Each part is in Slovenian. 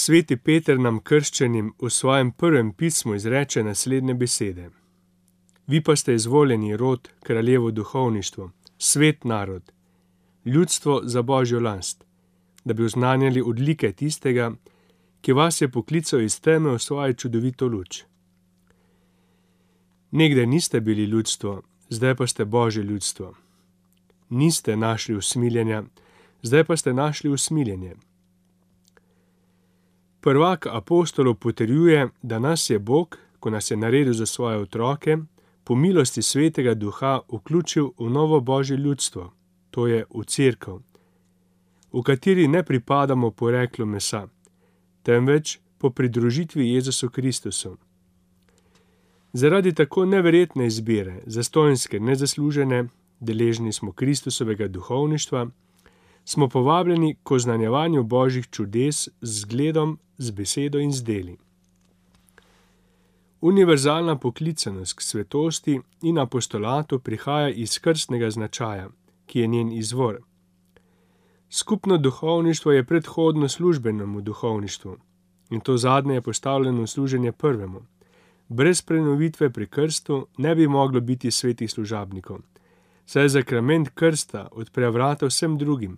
Sveti Peter nam krščenim v svojem prvem pismu izreče naslednje besede. Vi pa ste izvoljeni rod, kraljevo duhovništvo, svet narod, ljudstvo za Božjo last, da bi oznanjali odlike tistega, ki vas je poklical iz teme v svojo čudovito luč. Nekdaj niste bili ljudstvo, zdaj pa ste Božje ljudstvo. Niste našli usmiljenja, zdaj pa ste našli usmiljenje. Prvak apostolov potrjuje, da nas je Bog, ko nas je naredil za svoje otroke, po milosti Svetega Duha vključil v novo Božje ljudstvo, to je v cerkev, v kateri ne pripadamo poreklu mesa, temveč po pridružitvi Jezusu Kristusu. Zaradi tako neverjetne izbire, zastonjske, nezaslužene, deležni smo Kristusovega duhovništva, smo povabljeni k oznanjevanju Božjih čudes z zgledom, z besedo in z deli. Univerzalna poklicanost k svetosti in apostolatu prihaja iz krstnega značaja, ki je njen izvor. Skupno duhovništvo je predhodno službenemu duhovništvu in to zadnje je postavljeno v služenje prvemu. Brez prenovitve pri krstu ne bi moglo biti svetih služabnikov, saj zakrament krsta odpre vrata vsem drugim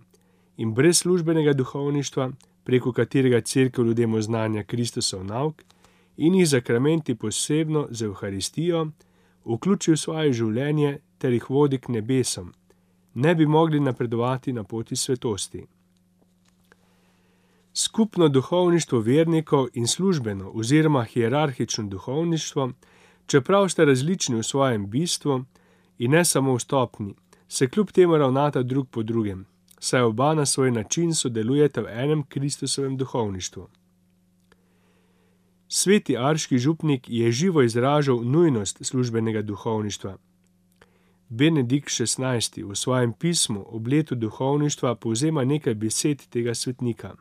in brez službenega duhovništva, preko katerega cerkev ljudem oznanja Kristusov nauk in jih zakramenti posebno z Evharistijo vključi v svoje življenje ter jih vodi k nebesom, ne bi mogli napredovati na poti svetosti. Skupno duhovništvo vernikov in službeno oziroma hierarhično duhovništvo, čeprav sta različni v svojem bistvu in ne samo v stopnji, se kljub temu ravnata drug po drugem, saj oba na svoj način sodelujeta v enem Kristusovem duhovništvu. Sveti arški župnik je živo izražal nujnost službenega duhovništva. Benedikt XVI. V svojem pismu ob letu duhovništva povzema nekaj besed tega svetnika.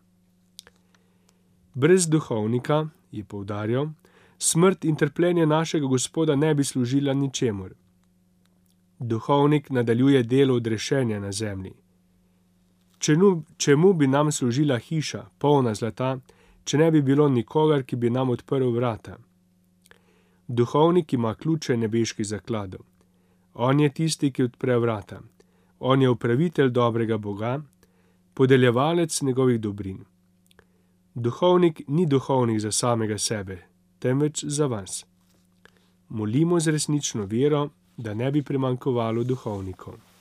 Brez duhovnika, je poudarjal, smrt in trpljenje našega Gospoda ne bi služila ničemur. Duhovnik nadaljuje delo odrešenja na zemlji. Čemu bi nam služila hiša, polna zlata, če ne bi bilo nikogar, ki bi nam odprl vrata? Duhovnik ima ključe nebeških zakladov. On je tisti, ki odpre vrata. On je upravitelj dobrega Boga, podeljevalec njegovih dobrin. Duhovnik ni duhovnik za samega sebe, temveč za vas. Molimo z resnično vero, da ne bi primanjkovalo duhovnikov.